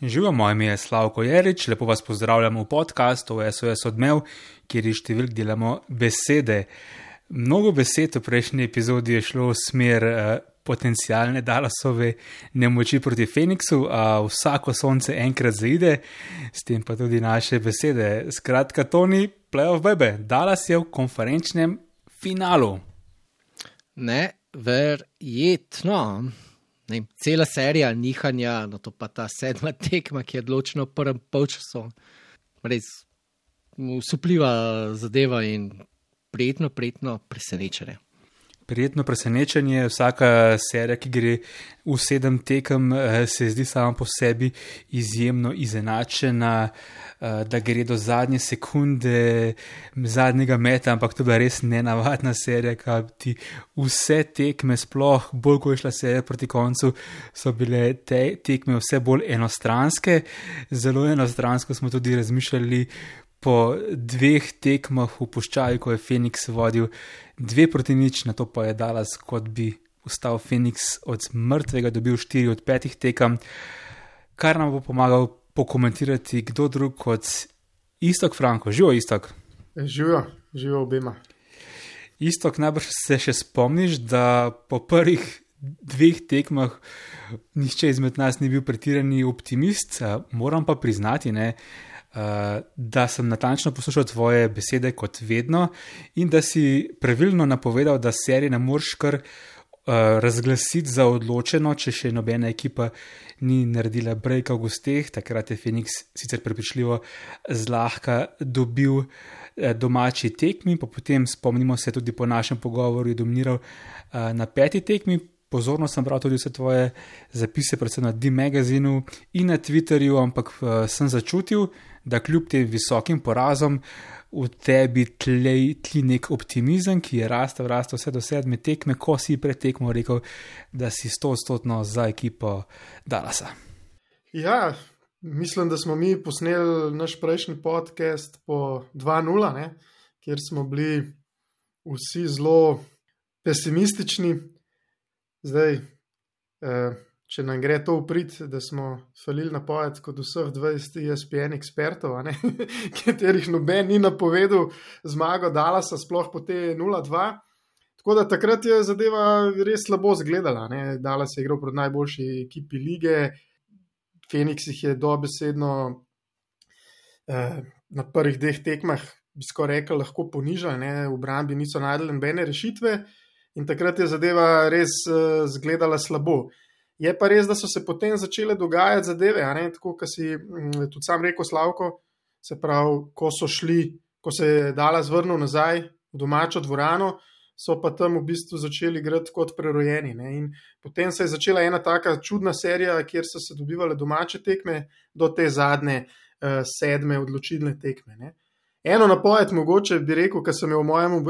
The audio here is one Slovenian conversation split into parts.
Živijo, moje ime je Slavko Jerič, lepo vas pozdravljam v podkastu SOS Odmev, kjer iz številk delamo besede. Mnogo besed v prejšnji epizodi je šlo v smer potencialne Dallasove nemoči proti Phoenixu, a vsako sonce enkrat zaide, s tem pa tudi naše besede. Skratka, Toni, playoff bebe, Dallas je v konferenčnem finalu. Neverjetno. Cela serija nihanja, no to pa ta 7. tekma, ki je odločena v prvem polčasu. Res usupljiva zadeva in prijetno presenečenje. Prijetno presenečenje, vsaka serija, ki gre v 7 tekem, se zdi sama po sebi izjemno izenačena, da gre do zadnje sekunde, zadnjega meta, ampak to je bila res nenavadna serija, kaj ti vse tekme, sploh bolj ko je šla serija proti koncu, so bile te tekme vse bolj enostranske. Zelo enostransko smo tudi razmišljali po 2 tekmah v puščavi, ko je Phoenix vodil 2-0, na to pa je Dallas, kot bi ustal Phoenix od mrtvega, dobil 4 od 5 tekem, kar nam bo pomagal pokomentirati kdo drug kot Iztok Franko. Živo, Iztok. Živo obema. Iztok, najbrž se še spomniš, da po prvih 2 tekmah nihče izmed nas ni bil pretirani optimist, moram pa priznati, da sem natančno poslušal tvoje besede kot vedno in da si pravilno napovedal, da serije ne moreš kar razglasiti za odločeno, če še nobena ekipa ni naredila breaka v gosteh. Takrat je Phoenix sicer prepričljivo zlahka dobil domači tekmi, pa potem spomnimo se tudi po našem pogovoru je dominiral na 5. tekmi. Pozorno sem bral tudi vse tvoje zapise, predvsem na D-Magazinu in na Twitterju, ampak sem začutil, da kljub tem visokim porazom v tebi tli nek optimizem, ki je rastel vse do 7. tekme, ko si pred tekmo rekel, da si 100% za ekipo Dallasa. Ja, mislim, da smo mi posneli naš prejšnji podcast po 2-0, kjer smo bili vsi zelo pesimistični. Zdaj, če nam gre to v prid, da smo falili napoved kot vseh 20 ESPN ekspertov, katerih noben ni napovedal zmago Dallasa, sploh po te 0-2. Tako da takrat je zadeva res slabo zgledala. Dallas je igral proti najboljši ekipi lige, Phoenix jih je dobesedno na prvih 2 tekmah, bi skoraj rekel, lahko ponižali, v obrambi niso našli nobene rešitve. In takrat je zadeva res zgledala slabo. Je pa res, da so se potem začele dogajati zadeve, tako, kot si tudi sam rekel, Slavko, se pravi, ko se je Dallas vrnil nazaj v domačo dvorano, so pa tam v bistvu začeli igrati kot prerojeni. In potem se je začela ena taka čudna serija, kjer so se dobivale domače tekme do te zadnje 7. odločilne tekme. Eno napoved mogoče bi rekel, ker sem jo v mojem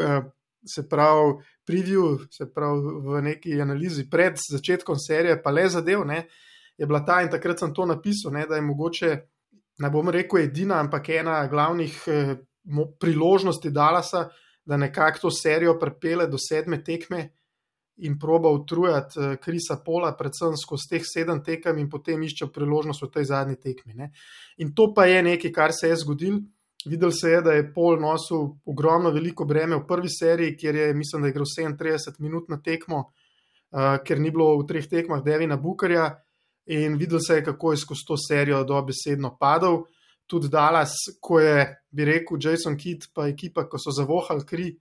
preview, v neki analizi pred začetkom serije, pa le zadev, je bila ta in takrat sem to napisal, da je mogoče, ne bom rekel edina, ampak ena glavnih priložnosti Dallasa, da nekako to serijo pripelje do 7. tekme in proba utrujati Chrisa Paula, predvsem skozi teh 7 tekem in potem išče priložnost v tej zadnji tekmi. In to pa je nekaj, kar se je zgodilo. Videl se je, da je Paul nosil ogromno veliko breme v prvi seriji, kjer je, mislim, da je igral 37 minut na tekmo, ker ni bilo v 3 tekmah Devina Bookerja, in videl se je, kako je skozi to serijo dobesedno padal. Tudi Dallas, ko je, bi rekel, Jason Kidd pa ekipa, ko so zavohali kri,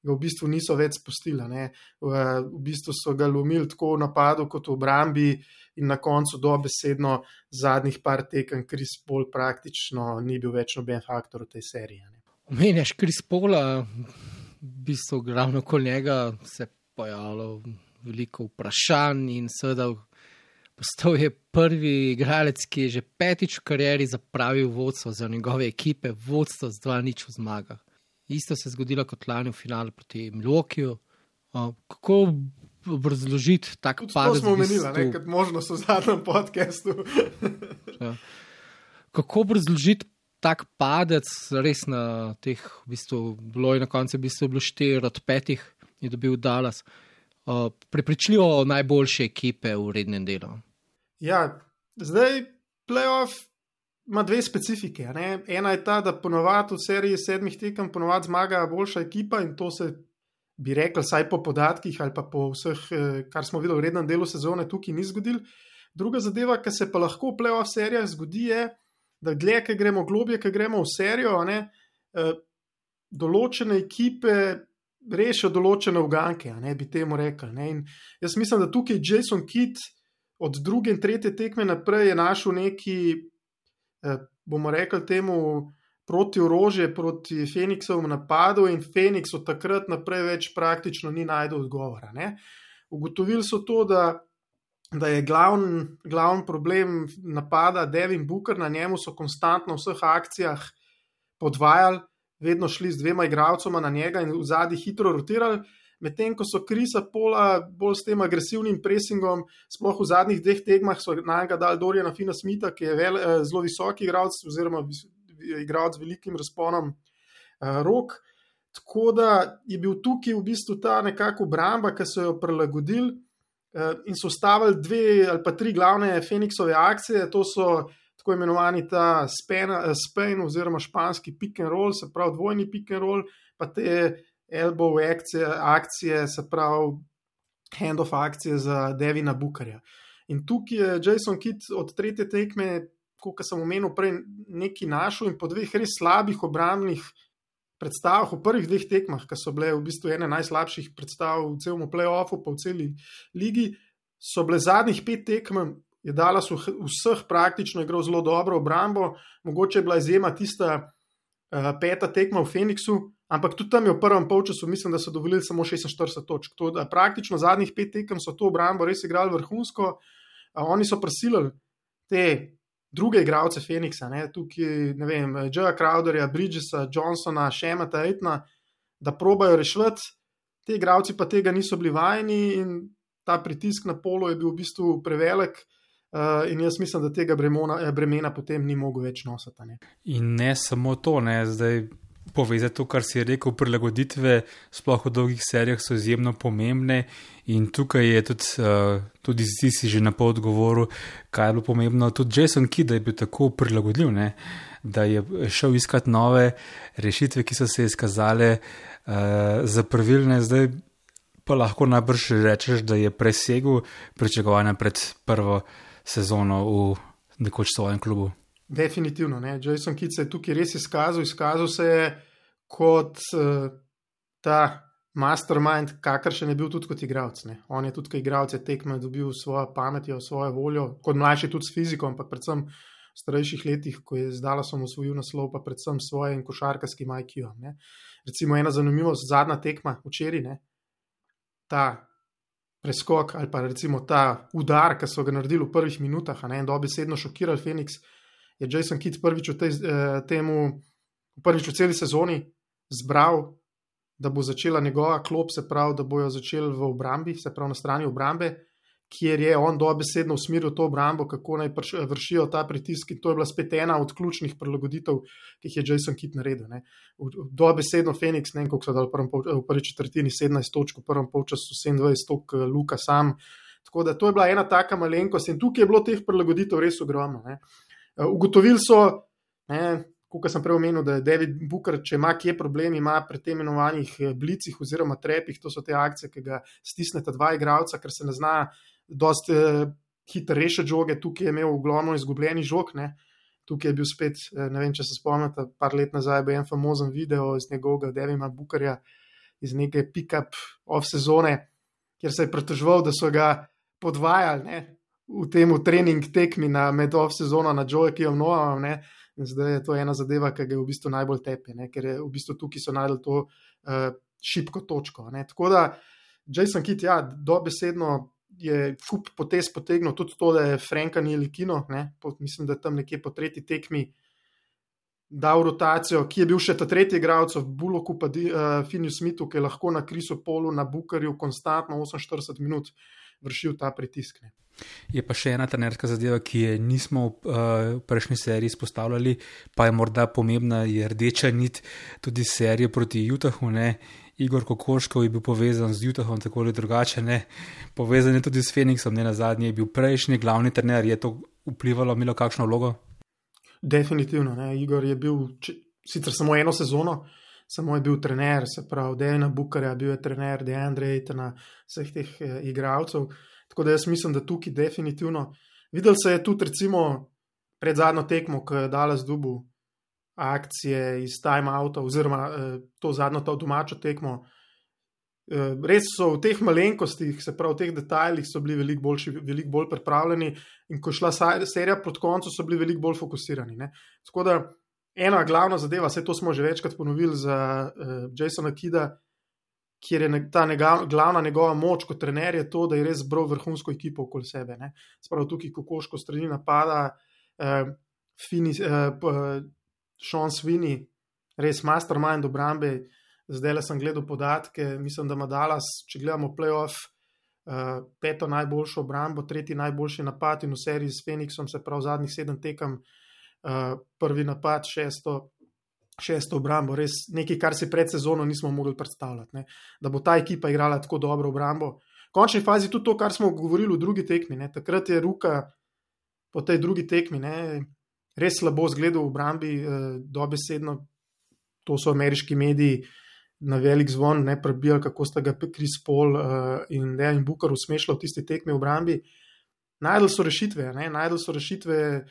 ga v bistvu niso več spustili. V bistvu so ga lomili tako v napadu kot v obrambi in na koncu dobesedno zadnjih par tekem Chris Paul praktično ni bil več noben faktor v tej seriji. Omenjaš Chris Paula, v bistvu ravno okoli njega se pojavilo veliko vprašanj in seveda postal je prvi igralec, ki je že 5. v karieri zapravil vodstvo za njegove ekipe, vodstvo z 2-0 v zmagah. Isto se je zgodilo kot lani v finalu proti Milwaukeeju. Kako obrazložiti tak padec? To smo omenili, kot možnost v zadnjem podcastu. Kako obrazložiti tak padec res na teh, v bistvu, bilo je na koncu, v bistvu bilo 4 od 5 je dobil Dallas. Prepričljivo najboljše ekipe v rednem delu. Ja, zdaj playoff ima dve specifike. Ne? Ena je ta, da ponovadi v seriji 7 tekem ponovadi zmaga boljša ekipa in to se bi rekel, saj po podatkih ali pa po vseh, kar smo videli v rednem delu sezone, tukaj ni zgodil. Druga zadeva, ki se pa lahko v playoff serijah zgodi, je, da dlje, ki gremo globje, ki gremo v serijo, določene ekipe rešijo določene uganke, bi temu rekli. Ne? In jaz mislim, da tukaj Jason Kidd od druge in tretje tekme naprej je našel neki, bomo rekli temu, proti orožje, proti Phoenixovemu napadu in Phoenix od takrat naprej več praktično ni najdel odgovora. Ne? Ugotovili so to, da je glavni problem napada Devin Booker, na njemu so konstantno v vseh akcijah podvajali, vedno šli z 2 igralcema na njega in v zadnji hitro rotirali, medtem ko so Chrisa Paula bolj s tem agresivnim pressingom, sploh v zadnjih 2 tekmah so na njega dali Doriana Finney-Smitha, ki je zelo visoki igralec oziroma igralec z velikim razponom rok. Tako da je bil tukaj v bistvu ta nekako obramba, ki so jo prilagodili in so stavili 2 ali pa 3 glavne Phoenixove akcije, to so tako imenovani ta Spain oziroma španski pick and roll, se pravi dvojni pick and roll, pa te elbow akcije, se pravi hand-off akcije za Devina Bookerja. In tukaj je Jason Kidd od tretje tekme, kot sem omenil prej, nekaj našel in po 2 res slabih obrambnih predstavah v prvih 2 tekmah, ki so bile v bistvu ene najslabših predstav v celem play-offu, pa v celi ligi, so bile zadnjih 5 tekem, je Dallas vseh praktično igral zelo dobro obrambo, mogoče je bila izjema tista 5. tekma v Phoenixu, ampak tudi tam je v prvem polčasu, mislim, da so dovolili samo 46 točk. To, da praktično zadnjih 5 tekem so to obrambo res igrali vrhunsko, oni so prisilili te druge igralce Phoenixa, tukaj, ne vem, Jaya Crowderja, Bridgesa, Johnsona, Shemata, Aitona, da probajo rešiti, te igralci pa tega niso bili vajeni in ta pritisk na polo je bil v bistvu prevelik in jaz mislim, da tega bremena potem ni mogel več nositi. Ne? In ne samo to, zdaj povezati to, kar si rekel, prilagoditve, sploh v dolgih serijah so izjemno pomembne in tukaj je tudi si že na pol odgovoril, kaj je bilo pomembno. Tudi Jason Kidd je bil tako prilagodljiv, da je šel iskati nove rešitve, ki so se izkazale za pravilne. Zdaj pa lahko najbrž rečeš, da je presegel pričakovanja pred prvo sezono v nekoč svojem klubu. Definitivno, Jason Kidd se je tukaj res izkazal se je kot ta mastermind, kakršen je bil tudi kot igralec. On je tudi kot igralec tekme dobil svojo pametjo, svojo voljo, kot mlajši tudi s fiziko, ampak predvsem v starejših letih, ko je z Dallasom osvojil naslov, pa predvsem s svojim košarkarskim IQ-om. Recimo ena zanimivost, zadnja tekma včeraj, ta preskok ali pa recimo ta udar, ki so ga naredili v prvih minutah, in dobesedno šokirali Phoenix, je Jason Kidd prvič v celi sezoni zbral, da bo začela njegova klop, se pravi, da bojo začeli v obrambi, se pravi na strani obrambe, kjer je on dobesedno usmeril to obrambo, kako naj vršijo ta pritisk in to je bila spet ena od ključnih prilagoditev, ki jih je Jason Kidd naredil. Dobesedno Phoenix, koliko so dali v prvi četrtini 17 točk, v prvem polčasu 27 točk Luka sam, tako da to je bila ena taka malenkost in tukaj je bilo teh prilagoditev res ogromno. Ugotovili so, kot sem prej omenil, da je Devin Booker, če ima kje problem, ima pri tem imenovanih blicih oziroma trepih, to so te akcije, ki ga stisneta 2 igralca, ker se ne zna dosti hitro rešiti žoge, tukaj je imel ogromno izgubljenih žog, tukaj je bil spet, ne vem, če se spomnite, par let nazaj je bil en famozen video iz njegovega Devina Bookerja, iz neke pick-up off sezone, kjer se je pritoževal, da so ga podvajali, v temu trening tekmi med off sezono na Joakijom Noamom, in zdaj je to ena zadeva, ki ga v bistvu najbolj tepe, ker je v bistvu tukaj so najdel to šibko točko. Tako da Jason Kidd, dobesedno je kup potez potegnil, tudi to, da je Franka Ntilikina, mislim, da tam nekje po tretji tekmi dal rotacijo, ki je bil še ta tretji igralec v Bullocku pa Finney-Smithu, ki je lahko na Chrisu Paulu, na Bookerju konstantno 48 minut vršil ta pritisk. Je pa še ena trenerska zadeva, ki je nismo v prejšnji seriji izpostavljali, pa je morda pomembna, je rdeča nit tudi serije proti Utahu, Igor Kokoškov je bil povezan z Utahom tako ali drugače, povezan je tudi s Phoenixom, nazadnje je bil prejšnji glavni trener, je to vplivalo, imelo kakšno vlogo? Definitivno. Ne. Igor je bil sicer samo eno sezono, samo je bil trener, se pravi Devina Bookerja, bil je trener DeAndre Aytona, vseh teh igralcev. Tako da jaz mislim, da tukaj definitivno. Videl se je tudi recimo pred zadnjo tekmo, ko je Dallas dobil akcije iz timeouta oziroma to zadnjo domačo tekmo. Res so v teh malenkostih, se pravi v teh detajlih so bili veliko bolj pripravljeni in ko je šla serija proti koncu, so bili veliko bolj fokusirani. Ne? Tako da ena glavna zadeva, vse to smo že večkrat ponovili za Jasona Kidda, kjer je ta glavna njegova moč kot trener je to, da je res zbral vrhunsko ekipo okoli sebe. Ne? Spravo tukaj kokoško strani napada, Sean Sweeney, res mastermind obrambe. Zdaj sem gledal podatke, mislim, da ima Dallas, če gledamo playoff, 5. najboljšo obrambo, 3. najboljši napad in v seriji s Phoenixom, se pravi zadnjih 7 tekem, prvi napad, 6. obrambo, res nekaj, kar si pred sezono nismo mogli predstavljati, ne? Da bo ta ekipa igrala tako dobro obrambo. V končni fazi tudi to, kar smo govorili v drugi tekmi, ne? Takrat je Ruka po tej drugi tekmi, ne? Res slabo zgledal v obrambi, dobesedno, to so ameriški mediji na velik zvon, ne prebijali, kako sta ga Chris Paul in Devin Booker usmešali v tisti tekmi v obrambi. Najdel so rešitve,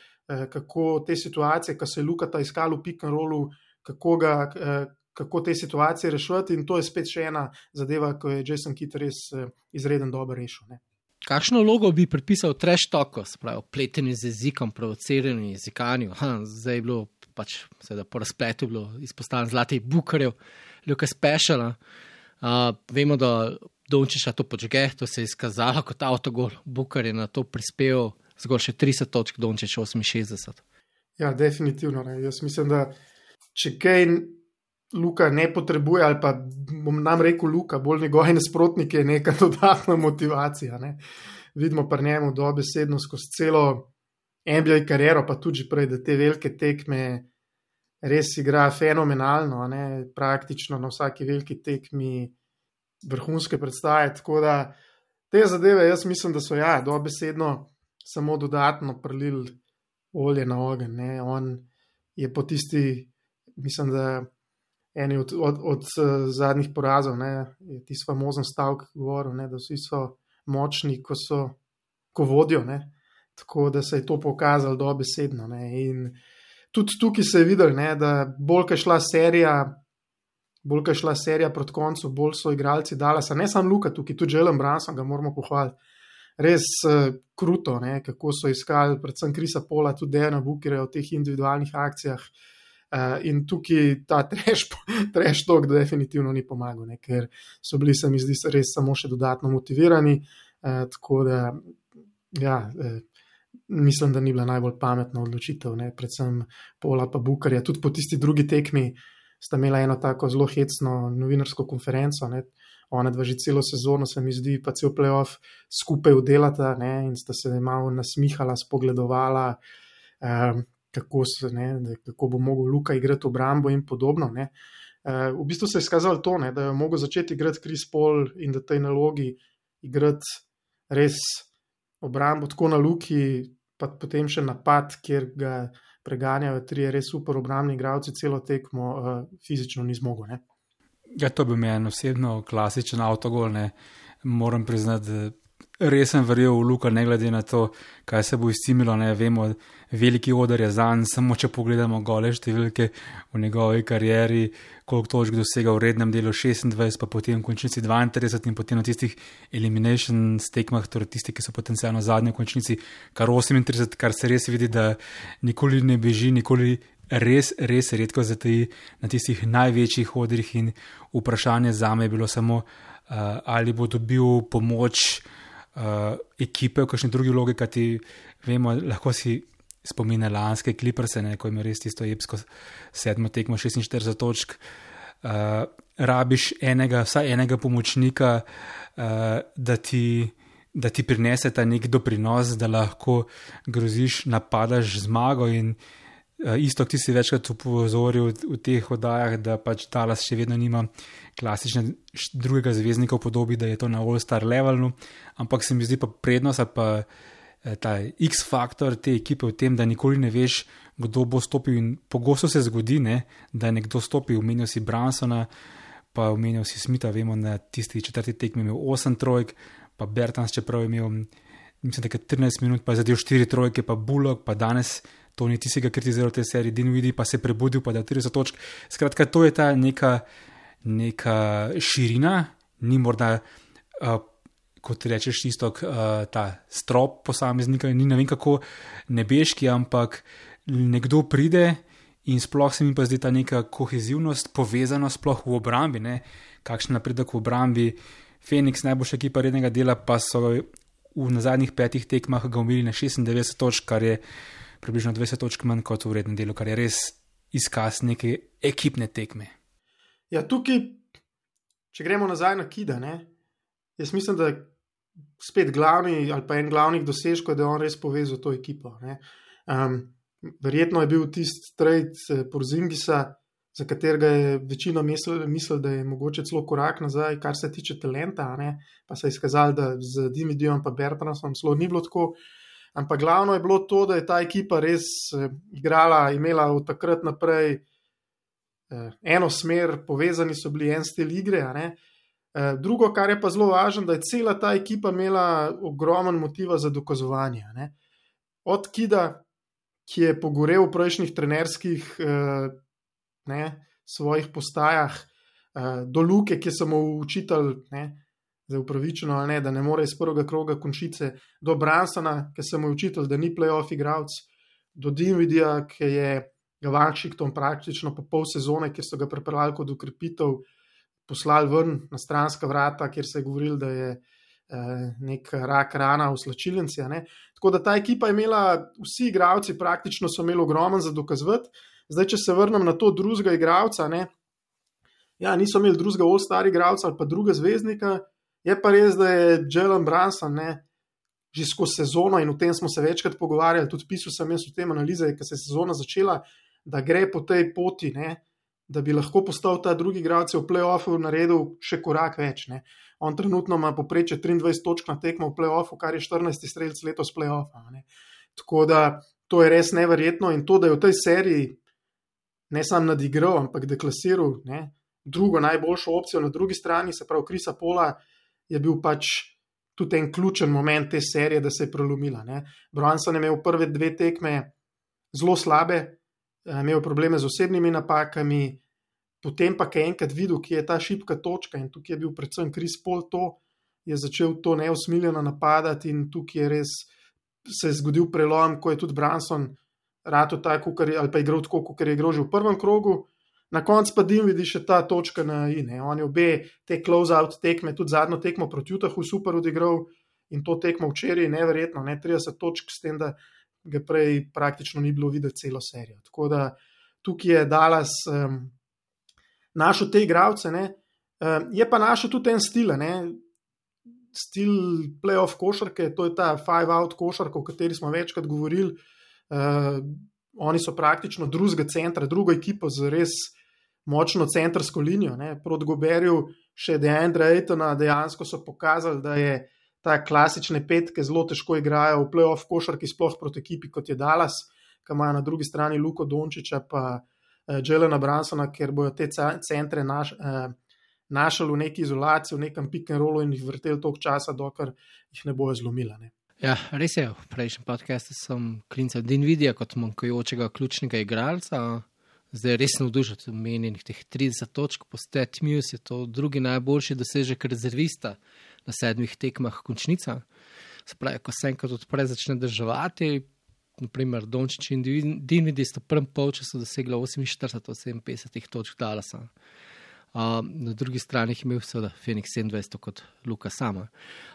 kako te situacije, ko se je Luka iskal v pick and rollu, kako te situacije rešiti, in to je spet še ena zadeva, ko je Jason Kidd res izreden dobro rešil. Ne. Kakšno vlogo bi pripisal trash talku, se pravi, pletenju z jezikom, provociranju, jezikanju? Zdaj je bilo pač, seveda po razpletu je bilo izpostavljeno zlatih Bookerjev, Luka Speciala. Vemo, da Dončića to počge, to se je izkazalo kot avtogol. Booker je na to prispeval zgolj še 30 točk, Dončić 68. Ja, definitivno. Ne. Jaz mislim, da če kaj Luka ne potrebuje, ali pa bom nam rekel Luka, bolj njegovi nasprotniki, je neka dodatna motivacija. Ne. Vidimo pri njemu dobesedno skozi celo NBA kariero, pa tudi prej, da te velike tekme res igra fenomenalno, ne. Praktično na vsaki veliki tekmi vrhunske predstave, tako da te zadeve jaz mislim, da so dobesedno samo dodatno prelili olje na ogenj. Ne. On je po tisti, mislim, da eni od zadnjih porazov, ne, je tisti famozen stavek govoril, ne, da vsi so močni, ko vodijo, ne, tako da se je to pokazalo dobesedno. Ne, in tudi tukaj se je videl, ne, da bolj ko je šla serija proti koncu, bolj so igralci Dallasa, ne samo Luka tukaj, tudi Jalen Brunson ga moramo pohvaliti. Res kruto, ne, kako so iskali predvsem Chrisa Paula, tudi Devina Bookerja v teh individualnih akcijah. In tukaj ta trash talk definitivno ni pomagal, ne, ker so bili, se mi zdi, res samo še dodatno motivirani, tako da mislim, da ni bila najbolj pametna odločitev, ne, predvsem Paula pa Bookerja. Tudi po tisti drugi tekmi sta imela eno tako zelo hecno novinarsko konferenco, ne, ona dva že celo sezono, se mi zdi, pa cel playoff skupaj udelata, ne, in sta se malo nasmihala, spogledovala, kako bo mogel Luka igrati obrambo in podobno. Ne. V bistvu se je skazalo to, ne, da je mogel začeti igrati Chris Paul in da tej nalogi igrati res obrambo tako na Luki, pa potem še napad, kjer ga preganjajo 3 res super obrambni igralci, celo tekmo fizično ni zmogel. Ne. Ja, to bi meni osebno klasičen avtogol, ne. Moram priznati, da res sem verjel v Luka, ne glede na to, kaj se bo izcimilo, ne vemo, veliki oder je zanj, samo če pogledamo gole številke v njegovi karieri, koliko točk dosega v rednem delu 26, pa potem v končnici 32 in potem na tistih elimination tekmah, torej tisti, ki so potencialno zadnji v končnici, kar 38, kar se res vidi, da nikoli ne beži, nikoli res redko zataji na tistih največjih odrih, in vprašanje zame je bilo samo, ali bo dobil pomoč ekipe v kakšni drugi vlogi, kajti vemo, lahko si spomine lanske Clippers, ko ima res tisto epsko 7. tekmo 46 točk, rabiš vsaj enega pomočnika, da ti prinese ta nek doprinos, da lahko groziš, napadaš zmago. In isto, ti si večkrat upozoril v teh oddajah, da pač Dallas še vedno nima klasične drugega zvezdnika v podobi, da je to na all-star levelu, ampak se mi zdi pa prednost, pa ta X-faktor te ekipe v tem, da nikoli ne veš, kdo bo stopil in pogosto se zgodi, ne, da je nekdo stopil, omenil si Bransona, pa omenil si Smitha, vemo, na tisti 4. tekmi imel 8 trojk, pa Bertans, čeprav je imel, mislim, da 13 minut, pa je zadev 4 trojke, pa Bullock, pa danes Tony, ti si ga kritiziral v tej seriji, Dinwiddie pa se je prebudil, pa da je 30 točk. Skratka, to je ta neka širina, ni morda, kot rečeš, Istok, ta strop posameznika, ni ne vem kako nebeški, ampak nekdo pride in sploh se mi pa zdi ta neka kohezivnost, povezanost sploh v obrambi, ne, kakšen napredek v obrambi. Phoenix, najboljša ekipa rednega dela, pa so na zadnjih 5 tekmah ga umili na 96 točk, kar je približno 20 točk manj kot v rednem delu, kar je res izkaz neke ekipne tekme. Ja, tukaj, če gremo nazaj na Kida, ne, jaz mislim, da spet glavni ali pa en glavnih dosežkov, da je on res povezal to ekipo. Ne. Verjetno je bil tisti trade Porzingisa, za katerega je večina mislil, da je mogoče celo korak nazaj, kar se tiče talenta, ne, pa se je izkazalo, da z Dinwiddiem pa Bertansom celo ni bilo tako. Ampak glavno je bilo to, da je ta ekipa res igrala, imela od takrat naprej eno smer, povezani so bili en stil igre. Ne. Drugo, kar je pa zelo važno, da je cela ta ekipa imela ogromen motiva za dokazovanje. Ne. Od Kida, ki je pogorel v prejšnjih trenerskih svojih postajah, do Luke, ki so mu učitelj, zdaj upravičeno ali ne, da ne more iz prvega kroga končice, do Bransona, ki se mu je učitelj, da ni playoff igralec, do Dinwiddija, ki je ga Washington praktično po pol sezone, kjer so ga pripeljali kot ukrepitev, poslali ven na stranska vrata, kjer se je govoril, da je nek rak rana v slačilnici. Tako da ta ekipa je imela, vsi igralci praktično so imeli ogromen za dokazovati. Zdaj, če se vrnem na to drugega igralca, niso imeli drugega all-star igralca ali pa druga zvezdnika. Je pa res, da je Jalen Brunson že skozi sezono, in o tem smo se večkrat pogovarjali, tudi pisal sem jaz v tem analize, ko se je sezona začela, da gre po tej poti, da bi lahko postal ta drugi igralec v play-offu naredil še korak več. On trenutno ima povprečje 23 točk na tekmo v play-offu, kar je 14. strelec letos play-offa. Tako da to je res neverjetno, in to, da je v tej seriji ne sam nadigral, ampak deklasiral drugo najboljšo opcijo na drugi strani, se pravi Chrisa Paula, je bil pač tudi en ključen moment te serije, da se je prelomila. Brunson je imel prve 2 tekme zelo slabe, imel probleme z osebnimi napakami, potem pa, ko je enkrat videl, kje je ta šibka točka, in tukaj je bil predvsem Chris Paul, je začel to neusmiljeno napadati, in tukaj je res se je zgodil prelom, ko je tudi Brunson rato tako, ali pa igral tako, kot je igral že v prvem krogu. Na koncu pa Dinwiddie še ta točka na i. On je obe te close-out tekme, tudi zadnjo tekmo proti Utahu super odigral, in to tekmo včeraj neverjetno, 30 točk, s tem, da ga prej praktično ni bilo videti celo serijo. Tako da tukaj je Dallas našel te igralce, je pa našel tudi en stil, stil playoff košarke, to je ta 5-out košarka, o kateri smo večkrat govorili. Oni so praktično drugega centra, drugo ekipo z res močno centrsko linijo. Proti Goberju še DeAndre Aytona dejansko so pokazali, da je ta klasične petke zelo težko igrajo v play-off košarki, sploh proti ekipi kot je Dallas, ki ima na drugi strani Luko Dončića pa Jalena Brunsona, ker bojo te centre našli v neki izolaciji, v nekem pick and rollu in jih vrteli toliko časa, dokler jih ne bojo zlomili. Ja, res je, v prejšnjem podcastu sem klincal Dinwiddija kot manjkajočega ključnega igralca, zdaj res navdušen, omenjenih teh 30 točk, po Stat Muse je to drugi najboljši dosežek rezervista na 7 tekmah končnica. Se pravi, ko se enkrat odpre, začne državati, naprimer Dončić in Dinwiddie sta v prvem polčasu dosegla 48 od 57 točk Dallasa. Na drugi strani je imel seveda Phoenix 27 kot Luka sama.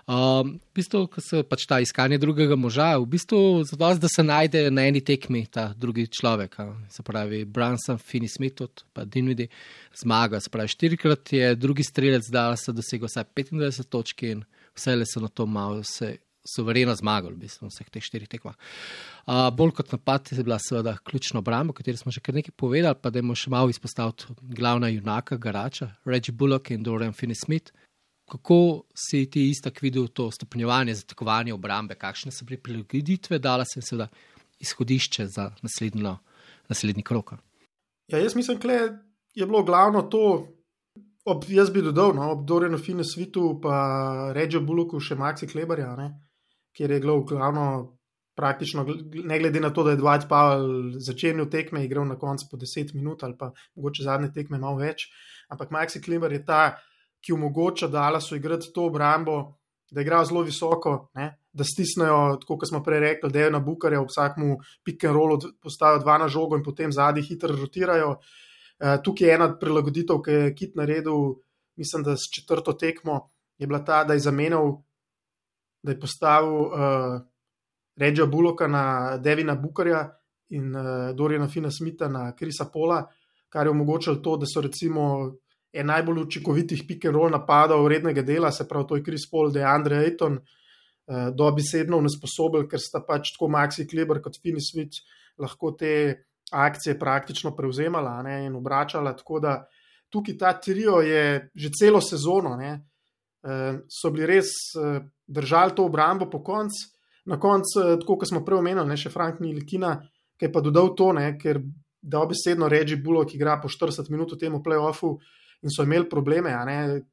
V bistvu, ko se pač ta iskanje drugega moža, v bistvu zato, da se najde na eni tekmi ta drugi človek, se pravi Brunson, Finney-Smith pa Dinwiddie zmaga, se pravi 4-krat je drugi strelec Dallasa dosegel vsaj 25 točk in vse le so na to malo se suvereno zmagali v bistvu vseh teh 4 tekmah. Bolj kot napad je bila seveda ključna obramba, o kateri smo že kar nekaj povedali, pa da je še malo izpostaviti glavna junaka, garača, Reggie Bullock in Dorian Finney-Smith. Kako si ti istak videl to stopnjevanje, zatekovanje obrambe, kakšne so bile prilagoditve, dala se seveda izhodišče za naslednji krog? Ja, jaz mislim, da je bilo glavno to, jaz bi dodal, ob Dorianu Finney-Smithu pa Reggiju Bullocku še Maxi Kleberja, kjer je glavno praktično, ne glede na to, da je Dwight Powell začenil tekme, igral na koncu po 10 minut ali pa mogoče zadnje tekme malo več, ampak Maxi Kleber je ta, ki omogoča Dallasu igrati to obrambo, da igrajo zelo visoko, da stisnejo, tako kot smo prej rekli, Devina Bookerja, ob vsakmu pick and rollu postavijo 2 na žogo in potem zadnji hitro rotirajo. Tukaj je ena prilagoditev, ki je Kit naredil, mislim, da s 4. tekmo je bila ta, da je zamenjal, da je postavil Reggija Bullocka na Devina Bookerja in Doriana Finney-Smitha na Chrisa Paula, kar je omogočilo to, da so recimo najbolj učinkovitih pick and roll napadov rednega dela, se pravi, to je Chris Paul, DeAndre Ayton, dobesedno nesposoben, ker sta pač tako Maxi Kleber kot Finney-Smith lahko te akcije praktično prevzemala in obračala, tako da tukaj ta trio je že celo sezono, so bili res držali to obrambo po koncu, na koncu, tako kot smo prej omenili, še Frank Ntilikina, ki je pa dodal to, ker dobesedno Reggie Bullock igra po 40 minut v tem play-offu in so imeli probleme,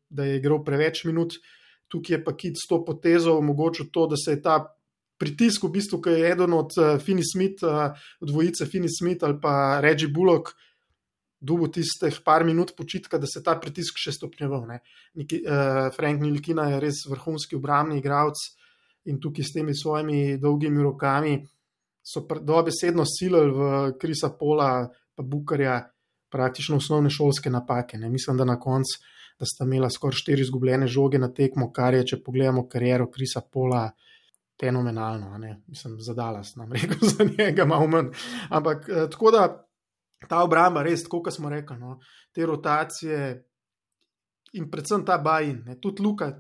da je igral preveč minut, tukaj je pa Kit s to potezo omogočil to, da se je ta pritisk v bistvu, ki je eden od Finney-Smith, dvojice Finney-Smith ali pa Reggie Bullock, dobil tistih par minut počitka, da se ta pritisk še stopnjeval. Frank Ntilikina je res vrhunski obrambni igralec in tukaj s temi svojimi dolgimi rokami so dobesedno silili v Chrisa Paula pa Bookerja praktično osnovne šolske napake. Mislim, da na koncu, da sta imela skoraj 4 izgubljene žoge na tekmo, kar je, če pogledamo kariero Chrisa Paula, fenomenalno. Mislim, za Dallas, nam rekel za njega malo manj. Ampak tako da ta obramba res, tako kot smo rekli, te rotacije in predvsem ta buy-in, tudi Luka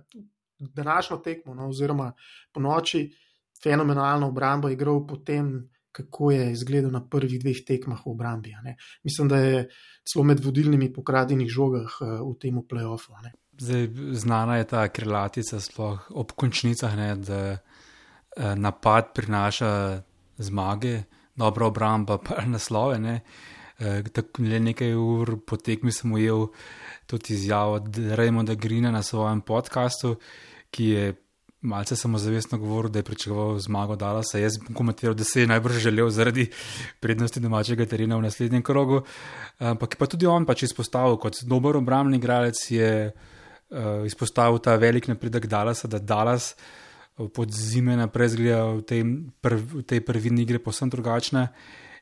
današnjo tekmo, oziroma po noči fenomenalno obrambo igral potem, kako je izgledal na prvih 2 tekmah v obrambi. Mislim, da je celo med vodilnimi po kradenih žogah v tem play-offu. Zdaj, znana je ta krilatica sploh ob končnicah, da napad prinaša zmage, dobra obramba pa naslove. Le nekaj ur po tekmi sem ujel tudi izjavo Raymonda Greena na svojem podcastu, ki je malce samozavestno govoril, da je pričakoval zmago Dallasa. Jaz bom komentiral, da se je najbrž želel zaradi prednosti domačega terena v naslednjem krogu. Ampak pa tudi on pač izpostavil, kot dober obrambni igralec je izpostavil ta velik napredek Dallasa, da Dallas pod zime naprej zgleda v tej prvini igre povsem drugačna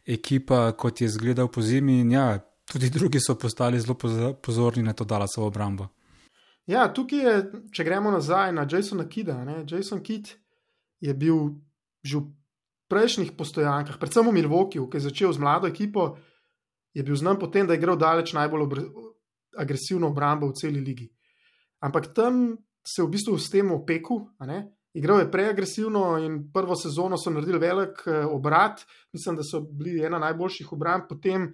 ekipa, kot je zgledal po zimi. In ja, tudi drugi so postali zelo pozorni na to Dallasovo obrambo. Ja, tukaj je, če gremo nazaj na Jasona Kidda. Jason Kidd je bil že v prejšnjih postojankah, predvsem v Milwaukeeju, ki je začel z mlado ekipo, je bil znan potem, da je igral daleč najbolj agresivno obrambo v celi ligi. Ampak tam se v bistvu s tem opekel, igral je preagresivno in prvo sezono so naredili velik obrat, mislim, da so bili ena najboljših obramb, potem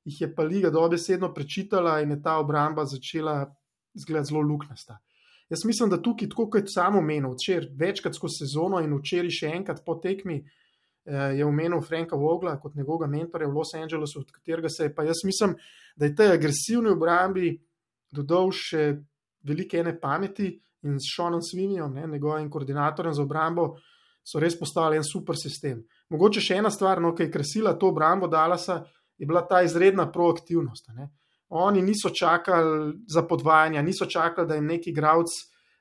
jih je pa liga dobesedno prečitala in je ta obramba začela izgledati zelo luknasta. Jaz mislim, da tukaj, tako kot sam omenil, večkrat skozi sezono in včeraj še enkrat po tekmi je omenil Franka Vogla kot njegovega mentorja v Los Angelesu, od katerega se je pa jaz mislim, da je tej agresivni obrambi dodal še velike ene pameti in s Seanom Sweeneyjem, njegovim koordinatorjem za obrambo, so res postavili en super sistem. Mogoče še ena stvar, ki je krasila to obrambo Dallasa, je bila ta izredna proaktivnost. Oni niso čakali za podvajanja, niso čakali, da jim neki igralec,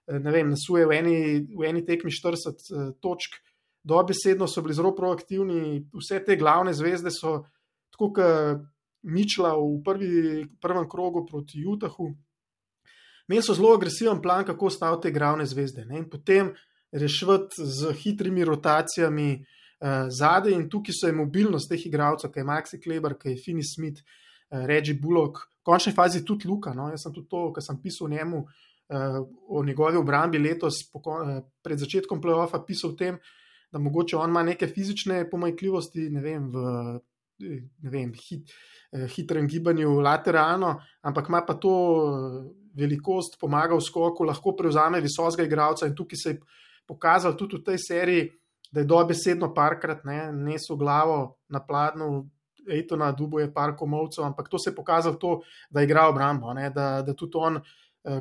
nasuje v eni tekmi 40 točk. Dobesedno so bili zelo proaktivni, vse te glavne zvezde so, tako kot Mitchella v prvem krogu proti Utahu, imeli so zelo agresiven plan, kako staviti te glavne zvezde. In potem reševati z hitrimi rotacijami zadaj in tukaj so je mobilnost teh igralcev, ki je Maxi Kleber, ki je Finney-Smith, Reggie Bullock, v končni fazi tudi Luka. Jaz sem tudi to, kar sem pisal o njemu, o njegovi obrambi letos, pred začetkom play-offa pisal o tem, da mogoče on ima neke fizične pomanjkljivosti, v ne vem, hitrem gibanju lateralno, ampak ima pa to velikost, pomaga v skoku, lahko prevzame visokega igralca in tukaj se je pokazal tudi v tej seriji, da je dobesedno parkrat nesel glavo na pladnju Ejtona, Dubo je par komovcev, ampak to se je pokazalo to, da igra obrambo, da tudi on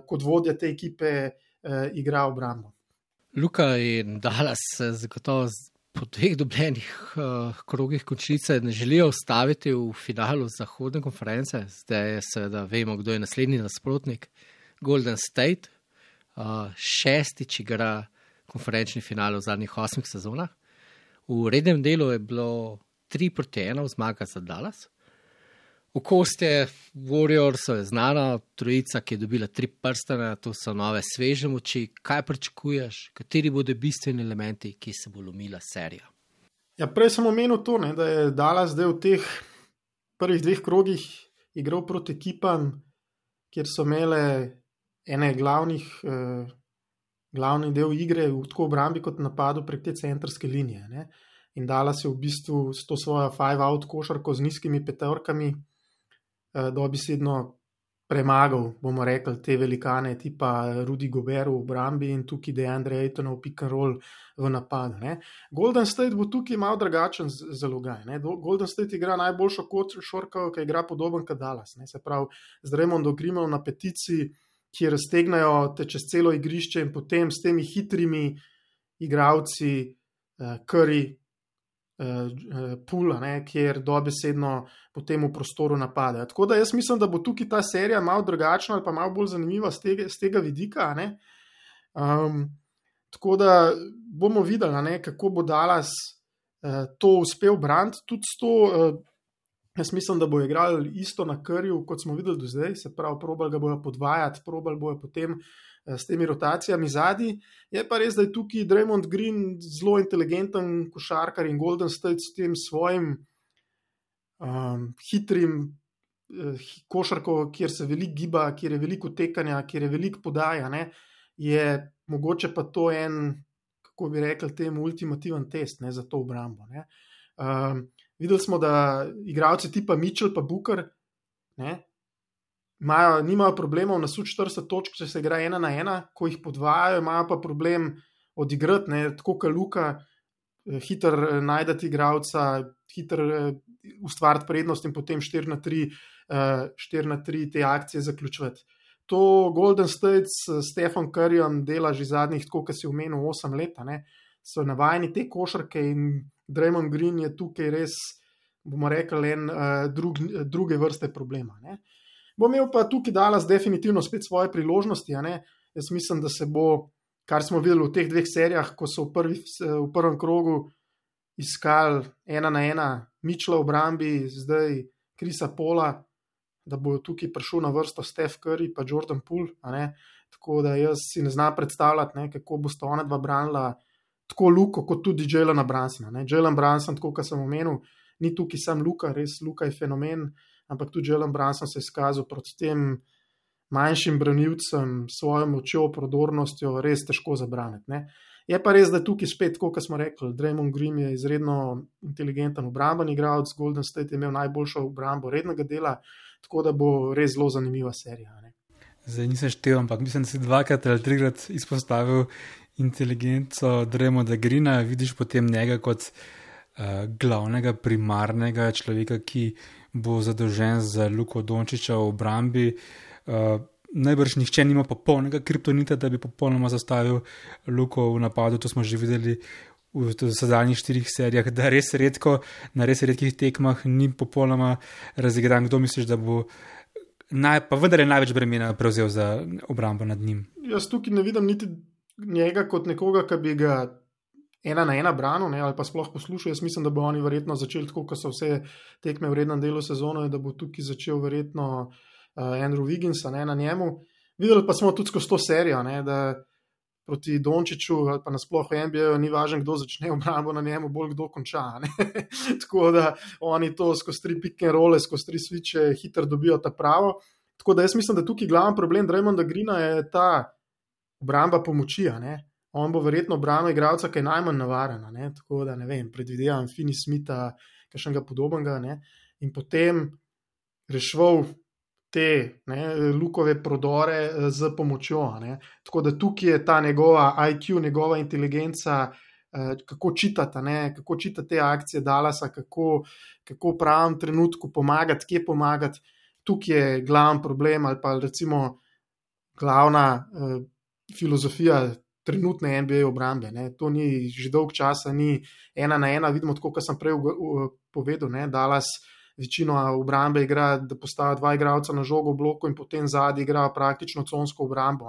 kot vodja te ekipe igra obrambo. Luka in Dallas zagotovo po dveh dobljenih krogih končnice ne želijo ustaviti v finalu zahodne konference. Zdaj seveda vemo, kdo je naslednji nasprotnik. Golden State, šestič igra konferenčni finale v zadnjih 8 sezonah. V rednem delu je bilo 3-1 zmaga za Dallas. V koste Warriors je znana trojica, ki je dobila 3 prstane, to so nove sveže moči. Kaj pričakuješ? Kateri bodo bistveni elementi, ki se bo lomila serija? Ja, prej sem omenil to, da je Dallas zdaj v teh prvih 2 krogih igral proti ekipam, kjer so imele ene glavni del igre v tako obrambi kot napadu prek te centrske linije. In Dallas je v bistvu s to svojo 5-out košarko z nizkimi petorkami dobesedno premagal, bomo rekli, te velikane tipa Rudy Gobert v obrambi in tukaj DeAndre Ayton v pick and roll v napadu. Golden State bo tukaj malo drugačen zalogaj. Golden State igra najboljšo košarko, ki igra podoben kot Dallas. Se pravi, z Draymondom Greenom na petici, ki raztegnajo te čez celo igrišče in potem s temi hitrimi igralci Curry, Pula, kjer dobesedno potem v prostoru napadajo. Tako da jaz mislim, da bo tukaj ta serija malo drugačna ali pa malo bolj zanimiva z tega vidika. Tako da bomo videli, kako bo Dallas to uspel braniti. Tudi s to, jaz mislim, da bo igrali isto na Curryju, kot smo videli do zdaj, se pravi, probali ga bojo podvajati, probali bojo potem s temi rotacijami zadnji. Je pa res, da je tukaj Draymond Green zelo inteligenten košarkar in Golden State s tem svojim hitrim košarko, kjer se veliko giba, kjer je veliko tekanja, kjer je veliko podaja, je mogoče pa to en, kako bi rekli, temu ultimativen test za to obrambo. Videli smo, da igralci tipa Mitchell pa Booker nimajo problemov na 40 točk, če se igra 1-1, ko jih podvajajo, imajo pa problem odigrati, tako kot Luka, hiter najdati igralca, hiter ustvariti prednost in potem 4-3 te akcije zaključiti. To Golden State s Stephen Curryjem dela že zadnjih, tako kot si omenil, 8 let, so navajeni te košarke in Draymond Green je tukaj res, bomo rekli, druge vrste problema. Bo imel pa tukaj Dallas definitivno spet svoje priložnosti. Jaz mislim, da se bo, kar smo videli v teh 2 serijah, ko so v prvem krogu iskali 1-1 Mitchella v obrambi, zdaj Chrisa Paula, da bo tukaj prišel na vrsto Steph Curry pa Jordan Poole. Tako da jaz si ne znam predstavljati, kako bosta ona dva branila tako Luko kot tudi Jalena Brunsona. Jalen Brunson, tako kot sem omenil, ni tukaj sam Luka, res Luka je fenomen, ampak tudi Jalen Brunson se je izkazal proti tem manjšim branilcem, svojo močjo, prodornostjo, res težko zabraniti. Je pa res, da tukaj spet, kot smo rekli, Draymond Green je izredno inteligenten obramben igralec, Golden State je imel najboljšo obrambo rednega dela, tako da bo res zelo zanimiva serija. Zdaj nisem štel, ampak mislim, da si 2 ali 3 izpostavil inteligenco Draymonda Greena, vidiš potem njega kot glavnega primarnega človeka, ki bo zadolžen za Luko Dončića v obrambi. Najbrž nihče nima popolnega kriptonita, da bi popolnoma zastavil Luko v napadu, to smo že videli v zadnjih 4 serijah, da res redko, na res redkih tekmah ni popolnoma razigran. Kdo misliš, da bo pa vendar je največ bremena prevzel za obrambo nad njim? Jaz tukaj ne vidim niti njega kot nekoga, ki bi ga 1-1 branil, ali pa sploh poslušal. Jaz mislim, da bo oni verjetno začeli tako, kot so vse tekme v rednem delu sezone, da bo tukaj začel verjetno Andrew Wigginsa na njemu. Videli pa smo tudi skozi to serijo, da proti Dončiću ali pa nasploh v NBA ni važno, kdo začne obrambo na njemu, bolj kdo konča. Tako da oni to skozi 3 pick and rolle, skozi 3 switche hitro dobijo ta pravo. Tako da jaz mislim, da tukaj glavni problem Draymonda Greena je ta obramba pomoči. On bo verjetno branil igralca, ki je najmanj navaren. Tako da ne vem, predvidevam Finney Smitha, kakšnega podobnega, ne, in potem reševal te Lukove prodore z pomočjo. Ne. Tako da tukaj je ta njegova IQ, njegova inteligenca, kako čitata, kako čitata te akcije Dallasa, kako v pravem trenutku pomagati, kje pomagati. Tukaj je glavni problem ali pa recimo glavna filozofija trenutne NBA obrambe. Ne. To ni že dolg časa, ni 1-1, vidimo tako, kot sem prej povedal, ne. Dallas večino obrambe igra, da postavi 2 igralca na žogo v bloku in potem zadnji igra praktično consko obrambo.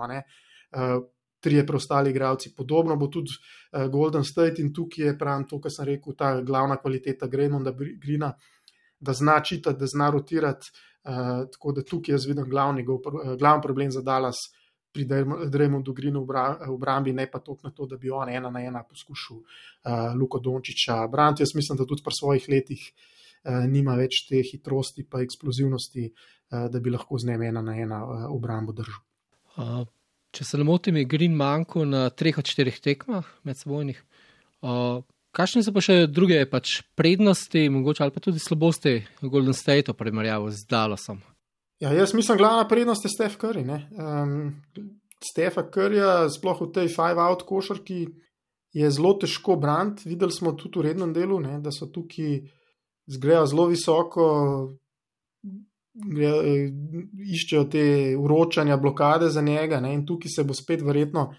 3 preostali igralci. Podobno bo tudi Golden State in tukaj je pravim to, kar sem rekel, ta glavna kvaliteta Draymonda Greena, da zna čitati, da zna rotirati, tako da tukaj jaz vidim glavni problem za Dallas pri Draymondu Greenu v obrambi, ne pa toliko na to, da bi on 1-1 poskušal Luko Dončića braniti. Jaz mislim, da tudi pri svojih letih nima več te hitrosti pa eksplozivnosti, da bi lahko z njim 1-1 obrambo držal. Če se ne motim, je Green manjkal na 3 od 4 tekmah medsebojnih. Kakšne so pa še druge prednosti, mogoče ali pa tudi slabosti Golden State v primerjavi z Dallasom? Ja, jaz mislim, glavna prednost je Steph Curry. Stepha Curryja, sploh v tej 5-out košarki, je zelo težko braniti. Videli smo tudi v rednem delu, da so tukaj zgrejo zelo visoko, iščejo te vročanja, blokade za njega, in tukaj se bo spet verjetno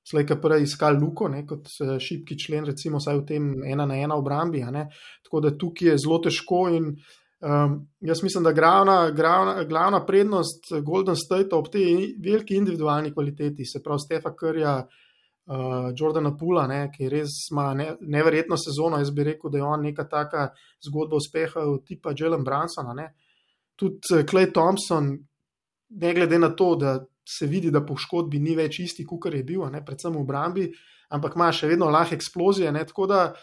slejka prej iskal Luko, kot šibki člen, recimo vsaj v tem 1-1 obrambi. Tako da tukaj je zelo težko in jaz mislim, da glavna prednost Golden State ob tej veliki individualni kvaliteti, se pravi Stepha Curryja, Jordana Poola, ki res ima neverjetno sezono. Jaz bi rekel, da je on neka taka zgodba uspeha tipa Jalen Brunsona. Tudi Klay Thompson, ne glede na to, da se vidi, da po škodbi ni več isti, kakor je bil, predvsem v obrambi, ampak ima še vedno lahke eksplozije. Tako da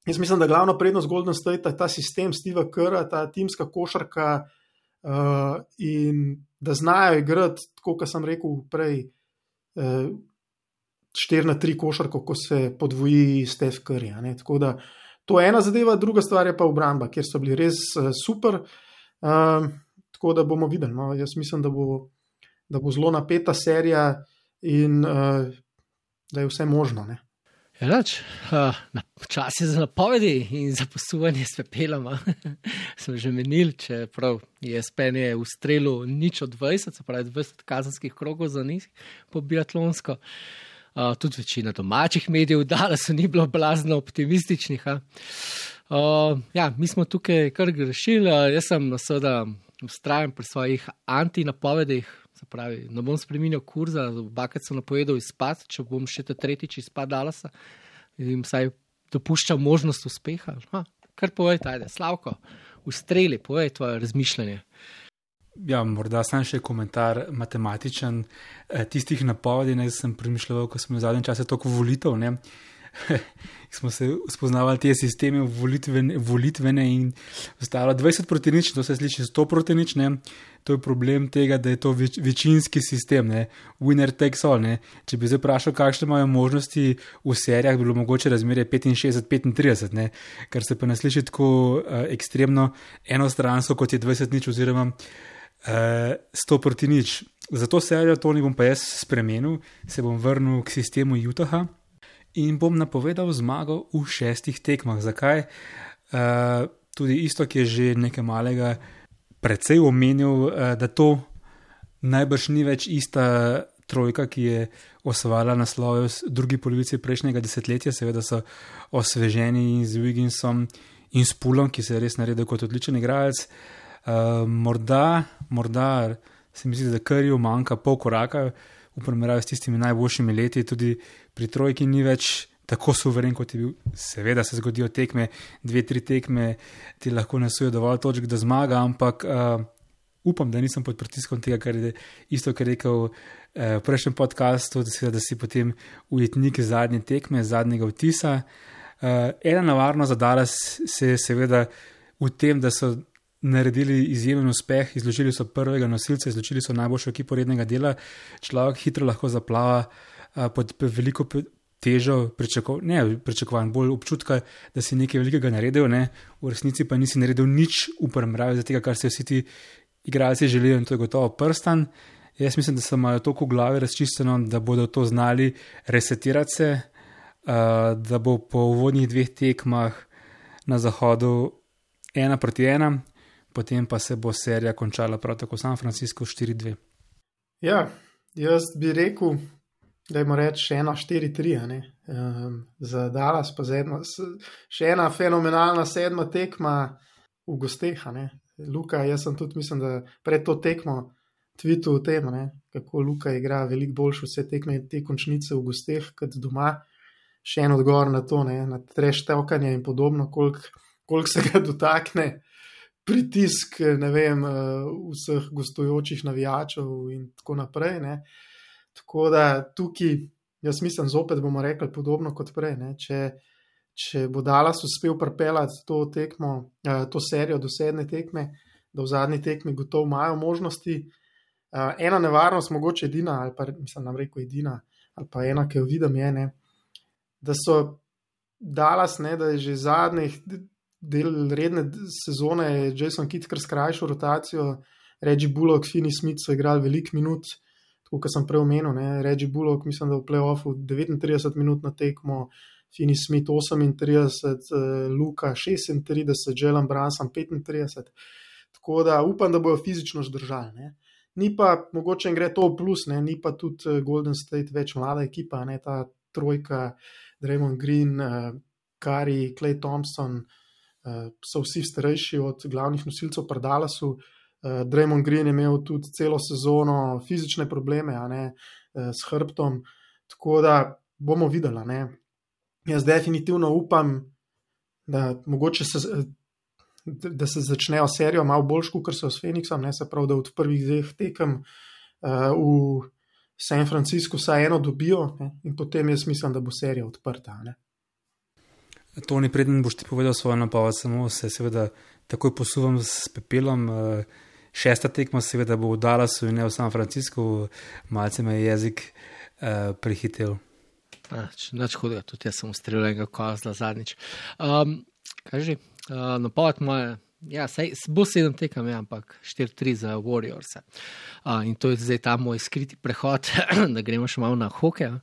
jaz mislim, da glavna prednost Golden State je ta sistem Steva Kerra, ta timska košarka in da znajo igrati, tako kot sem rekel prej, 4-3 košarko, ko se podvoji Steph Curry. Tako da to je ena zadeva, druga stvar je pa obramba, kjer so bili res super. Tako da bomo videli. Jaz mislim, da bo zelo napeta serija in da je vse možno. Čas je za napovedi in za posuvanje s pepelom. Sem že menil, čeprav ESPN je v strelu 0-20, se pravi 20 kazenskih krogov za njih po biatlonsko. Tudi večina domačih medijev dala so ni bilo blazno optimističnih. Mi smo tukaj kar grešili. Jaz sem seveda vztrajen pri svojih antinapovedih, se pravi, ne bom spreminjal kurza, obakrat sem napovedal izpad, če bom še tretjič izpad Dallasa, in vsaj dopuščam možnost uspeha. Kar povej, tajde, Slavko, ustreli, povej tvoje razmišljanje. Ja, morda sam še komentar matematičen tistih napovedi, sem premišljal, ko smo v zadnjem času toliko volitev, smo se spoznavali te sisteme volitvene in ostalo 20-0, to se sliši 100-0, to je problem tega, da je to večinski sistem, winner takes all, Če bi zdaj vprašal, kakšne imajo možnosti v serijah, bilo mogoče razmerje 65-35, kar se pa ne sliši tako ekstremno enostransko, kot je 20-0 oziroma 100-0. Za to serijo to ne bom pa jaz spremenil, se bom vrnil k sistemu Utaha in bom napovedal zmago v 6 tekmah. Zakaj? Tudi Istok je že nekaj malega precej omenil, da to najbrž ni več ista trojka, ki je osvajala naslove v drugi polovici prejšnjega desetletja. Seveda so osveženi z Wigginsom in s Poolom, ki se je res naredil kot odličen igralec. Morda se mi zdi, da Curryju manjka pol koraka v primerjavi s tistimi najboljšimi leti, tudi pri trojki ni več tako suveren, kot je bil. Seveda se zgodijo tekme, 2-3 tekme ti lahko nasujejo dovolj točk, da zmaga, ampak upam, da nisem pod pritiskom tega, kar je isto, kar je rekel v prejšnjem podcastu, da si potem ujetnik zadnje tekme, zadnjega vtisa. Ena nevarnost za Dallas se je seveda v tem, da so naredili izjemen uspeh, izločili so prvega nosilca, izločili so najboljšo ekipo rednega dela, človek hitro lahko zaplava pod veliko težo pričakovanj, bolj občutka, da si nekaj velikega naredil, ne? V resnici pa nisi naredil nič v primerjavi za tega, kar se vsi ti igralci želijo, in to je gotovo Prstan. Jaz mislim, da se imajo toliko v glavi razčiščeno, da bodo to znali resetirati se, da bo po uvodnih 2 tekmah na zahodu 1-1, potem pa se bo serija končala prav tako San Francisco 4-2. Ja, jaz bi rekel, da jim reči 1-4-3, za Dallas pa še ena fenomenalna 7. tekma v gosteh. Luka, jaz sem tudi, mislim, da pred to tekmo tweetu o tem, kako Luka igra veliko boljše vse tekme te končnice v gosteh kot doma. Še en odgovor na to, na trash talkanje in podobno, koliko se ga dotakne pritisk, vseh gostujočih navijačev in tako naprej. Tako da tukaj, jaz mislim, zopet bomo rekli podobno kot prej. Če bo Dallas uspel pripeljati to serijo do 7. tekme, da v zadnji tekmi gotovo imajo možnosti. Ena nevarnost, mogoče edina, ali pa mislim, nam rekel edina, ali pa ena, ki jo vidim, je, da so Dallas, da je že zadnjih del redne sezone Jason Kidd kar skrajšal rotacijo, Reggie Bullock, Finney Smith so igrali veliko minut, tako kot sem prej omenil, Reggie Bullock, mislim, da v play-offu 39 minut na tekmo, Finney Smith 38, Luka 36, Jalen Brunson 35, tako da upam, da bojo fizično zdržali. Ni pa, mogoče jim gre to v plus, ni pa tudi Golden State več mlada ekipa, ta trojka, Draymond Green, Curry, Klay Thompson, so vsi starejši od glavnih nosilcev pri Dallasu. Draymond Green je imel tudi celo sezono fizične probleme, s hrbtom, tako da bomo videli. Jaz definitivno upam, da mogoče da se začnejo serijo malo boljš, kot so s Phoenixom, se pravi, da od prvih 2 tekem v San Francisco vsaj eno dobijo, in potem jaz mislim, da bo serija odprta. Toni, preden boš ti povedal svojo napoved, samo se seveda takoj posuvam s pepelom. 6. tekma seveda bo v Dallasu in ne v San Francisco, malce me je jezik prehitel. Nič hudega, tudi jaz sem ustrelil enega kozla zadnjič. Kaj že? Napoved moja, bo 7 tekem, ampak 4-3 za Warriors. In to je zdaj ta moj skriti prehod, da gremo še malo na hokej.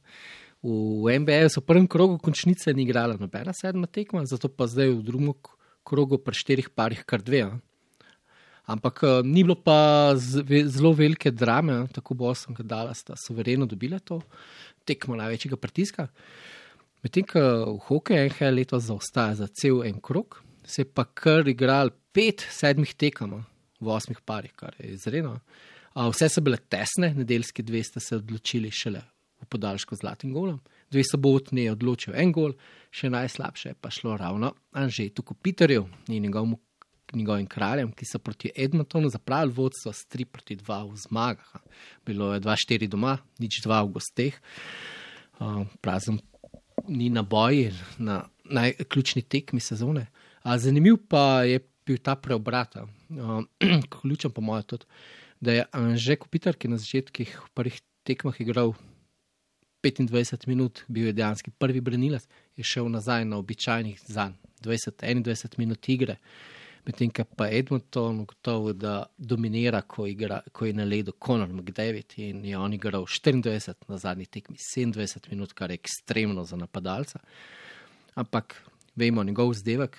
V NBA so v prvem krogu končnice ni igrala nobena 7. tekma, zato pa zdaj v drugem krogu pri 4 parih kar 2. Ampak ni bilo pa zelo velike drame, tako Boston kot Dallas sta suvereno dobila to tekmo največjega pritiska. Medtem, ko v hokeju NHL letos zaostaja za cel en krog, se je pa kar igral 5 7 tekem v 8 parih, kar je izredno. Vse so bile tesne, nedeljski 2 sta se odločili šele v podaljšku z zlatim golom. 2 sobotni je odločil en gol, še najslabše je pa šlo ravno Anžetu Kopitarju in njegovim kraljem, ki so proti Edmontonu zapravili vodstvo s 3-2 v zmagah. Bilo je 2-4 doma, 0-2 v gosteh. Prazen ni na boji, na najključni tekmi sezone. Zanimiv pa je bil ta preobrat. Ključen po mojem tudi, da je Anže Kopitar, ki na začetkih v prvih tekmah igral 25 minut, bil je dejanski prvi branilec, je šel nazaj na običajnih zanj 20-21 minut igre. Medtem, pa Edmonton gotovo, da dominira, ko je na ledu Conor McDavid in je on igral 24 na zadnji tekmi, 27 minut, kar je ekstremno za napadalca. Ampak vemo, njegov vzdevek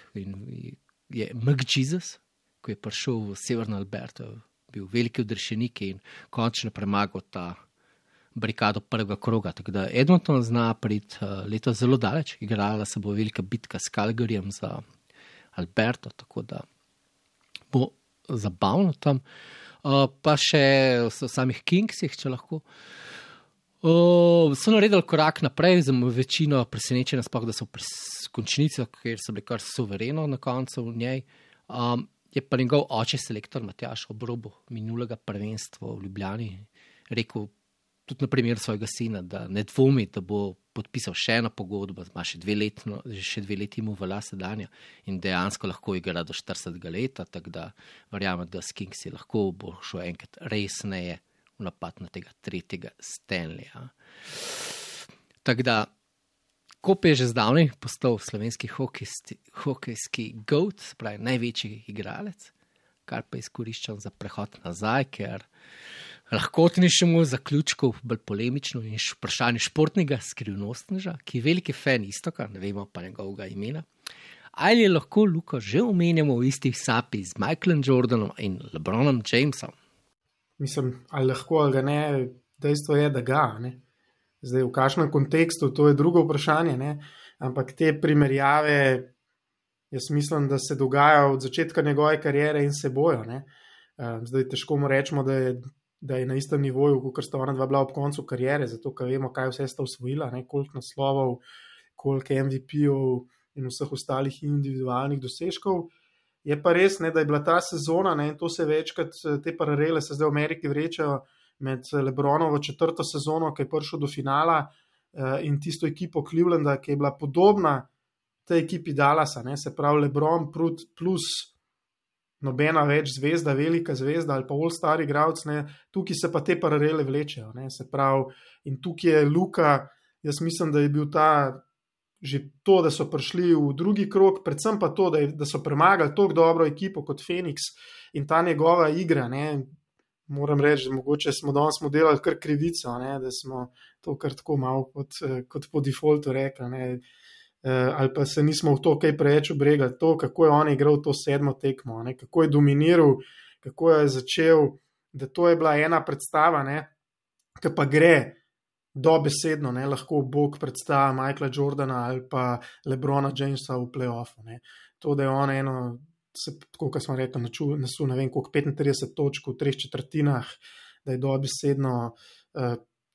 je McJesus, ko je prišel v Severno Alberto, bil veliki odrešenik in končno premagal ta barikado prvega kroga. Tako da Edmonton zna priti letos zelo daleč, igrala se bo velika bitka s Calgaryjem za Alberto, tako da bo zabavno tam. Pa še v samih Kingsih, če lahko. So naredili korak naprej, za večino presenečenja, sploh da so v končnici, ker so bili kar suvereno na koncu v njej. Je pa njegov oče selektor Matjaž ob robu minulega prvenstva v Ljubljani rekel tudi na primer svojega sina, da ne dvomi, da bo podpisal še eno pogodbo, ima še 2 leti mu velja sedanja in dejansko lahko igra do 40 leta, tako da verjamem, da s Kingsi lahko bo šel enkrat resneje v napad na tega 3. Stanleya. Tako da Koper je že zdavnaj postal slovenski hokejski GOAT, spravi največji igralec, kar pa izkoriščam za prehod nazaj, ker lahkotnejšemu zaključku, bolj polemično in vprašanje športnega skrivnostneža, ki je veliki fan Istoka, ne vemo pa njegovega imena. Ali je lahko Luko že omenjamo v istih sapi z Michaelom Jordanom in LeBronom Jamesom? Mislim, ali lahko ali ga ne, dejstvo je, da ga, ne. Zdaj, v kakšnem kontekstu, to je drugo vprašanje, ne. Ampak te primerjave, jaz mislim, da se dogajajo od začetka njegove kariere in se bojo, ne. Zdaj, težko mu rečemo, da je na istem nivoju, kot sta ona dva bila ob koncu kariere, zato ker vemo, kaj vse sta osvojila, ne, koliko naslovov, koliko MVP-ov in vseh ostalih individualnih dosežkov. Je pa res, ne, da je bila ta sezona, ne, in to se večkrat, te paralele se zdaj v Ameriki vrečajo med LeBronovo 4. sezono, ki je prišel do finala, in tisto ekipo Clevelanda, ki je bila podobna tej ekipi Dallasa, ne, se pravi LeBron plus nobena več zvezda, velika zvezda ali pa all-star igralec, ne, tukaj se pa te paralele vlečejo, ne, se pravi, in tukaj je Luka, jaz mislim, da je bil ta, že to, da so prišli v drugi krog, predvsem pa to, da so premagali tako dobro ekipo kot Phoenix in ta njegova igra, ne, moram reči, da mogoče smo danes delali kar krivico, ne, da smo to kar tako malo kot po defaultu rekli, ne, ali pa se nismo v to kaj preveč obregali, to, kako je on igral to 7. tekmo, ne, kako je dominiral, kako je začel, da to je bila ena predstava, ne, ki pa gre dobesedno, ne, lahko Bog predstava Michaela Jordana ali pa LeBrona Jamesa v play-offu, ne. To, da je on eno, tako kot smo rekli, nasul, ne vem, koliko 35 točk v 3/4, da je dobesedno